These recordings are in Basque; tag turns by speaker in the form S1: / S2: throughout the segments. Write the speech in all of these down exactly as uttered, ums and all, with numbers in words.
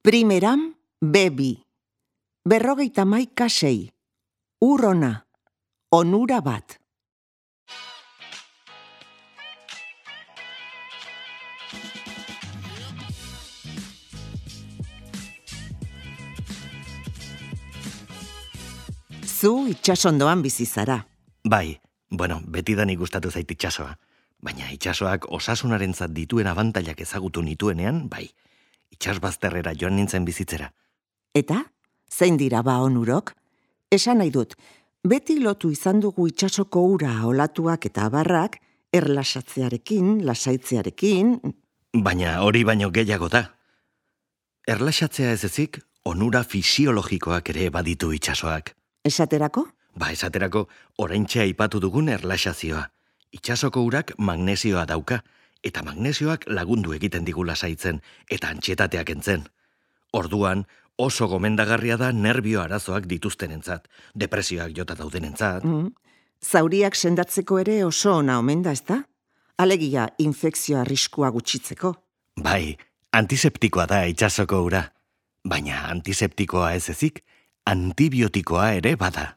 S1: Primeram, bebi. Berrogeita maika sei. Urrona. Onura bat. Zu itxasondoan bizi zara.
S2: Bai, bueno, betidanik gustatu zait itxasoa. Baina itxasoak osasunarentzat dituen abantailak ezagutu nituenean, bai, itxasbazterrera joan nintzen bizitzera.
S1: Eta? Zein dira ba onurok? Esan nahi dut, beti lotu izan dugu itsasoko ura olatuak eta abarrak, erlaxatzearekin, lasaitzearekin...
S2: Baina hori baino gehiago da. Erlaxatzea ez ezik, onura fisiologikoak ere baditu itxasoak.
S1: Esaterako?
S2: Ba, esaterako, oraintxe aipatu dugun erlaxazioa. Itsasoko urak magnesioa dauka, eta magnesioak lagundu egiten digu lasaitzen, eta antxietateak entzen. Orduan, oso gomendagarria da nerbio arazoak dituztenentzat, depresioak jota daudenentzat.
S1: Mm. Zauriak sendatzeko ere oso ona omen da, ezta? Alegia, infekzio arriskua gutxitzeko.
S2: Bai, antiseptikoa da itsasoko ura. Baina antiseptikoa ez ezik, antibiotikoa ere bada.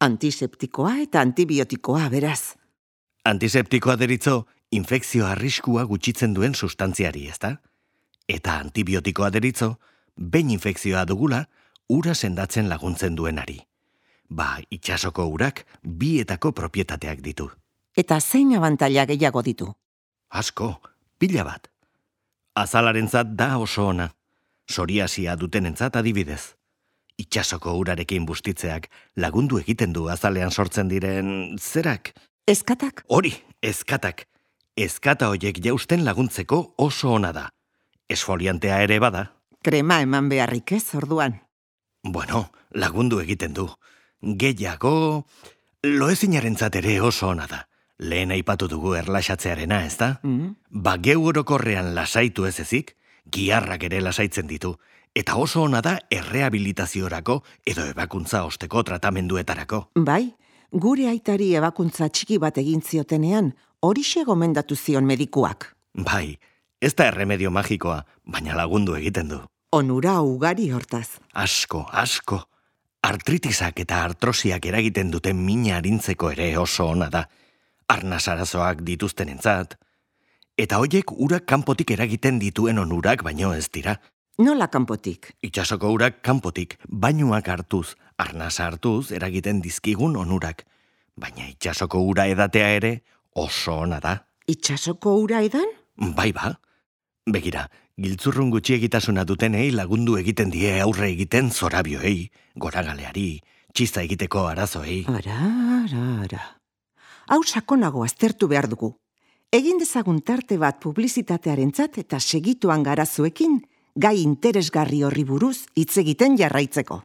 S1: Antiseptikoa eta antibiotikoa, beraz.
S2: Antiseptikoa deritzo, infekzio arriskua gutxitzen duen sustantziari, ezta? Eta antibiotikoa deritzo, behin infekzioa dugula, ura sendatzen laguntzen duenari. Ba, itsasoko urak bietako propietateak ditu.
S1: Eta zein abantaila gehiago ditu?
S2: Asko, pila bat. Azalarentzat da oso ona. Psoriasia dutenentzat adibidez. Itsasoko urarekin bustitzeak lagundu egiten du azalean sortzen diren zerak.
S1: Eskatak?
S2: Hori, eskatak. Eskata hoiek jausten laguntzeko oso ona da. Esfoliantea ere bada.
S1: Krema eman beharrik ez, orduan.
S2: Bueno, lagundu egiten du. Gehiago, loezinarentzat ere oso ona da. Lehen aipatu dugu erlaxatzearena, ez da?
S1: Mm.
S2: Ba, geu orokorrean lasaitu ez ezik, giharrak ere lasaitzen ditu. Eta oso ona da errehabilitaziorako edo ebakuntza osteko tratamenduetarako.
S1: Bai, gure aitari ebakuntza txiki bat egin ziotenean, horixe gomendatu zion medikuak.
S2: Bai, ez da erremedio magikoa, baina lagundu egiten du.
S1: Onura ugari hortaz.
S2: Asko, asko. Artritisak eta artrosiak eragiten duten mina arintzeko ere oso ona da. Arnas arazoak dituztenentzat. Eta hoiek urak kanpotik eragiten dituen onurak baino ez dira.
S1: Nola kanpotik?
S2: Itsasoko urak kanpotik, bainuak hartuz, arnasa hartuz eragiten dizkigun onurak. Baina itsasoko ura edatea ere oso ona da.
S1: Itsasoko ura edan?
S2: Bai ba. Begira, giltzurrun gutxiegitasuna dutenei lagundu egiten die aurre egiten zorabioei, goragaleari, txista egiteko arazoei.
S1: Ara, ara, ara. Hau sakonago aztertu behar dugu. Egin dezagun tarte bat publizitatearentzat eta segituan garazuekin, gai interesgarri horri buruz hitz egiten jarraitzeko.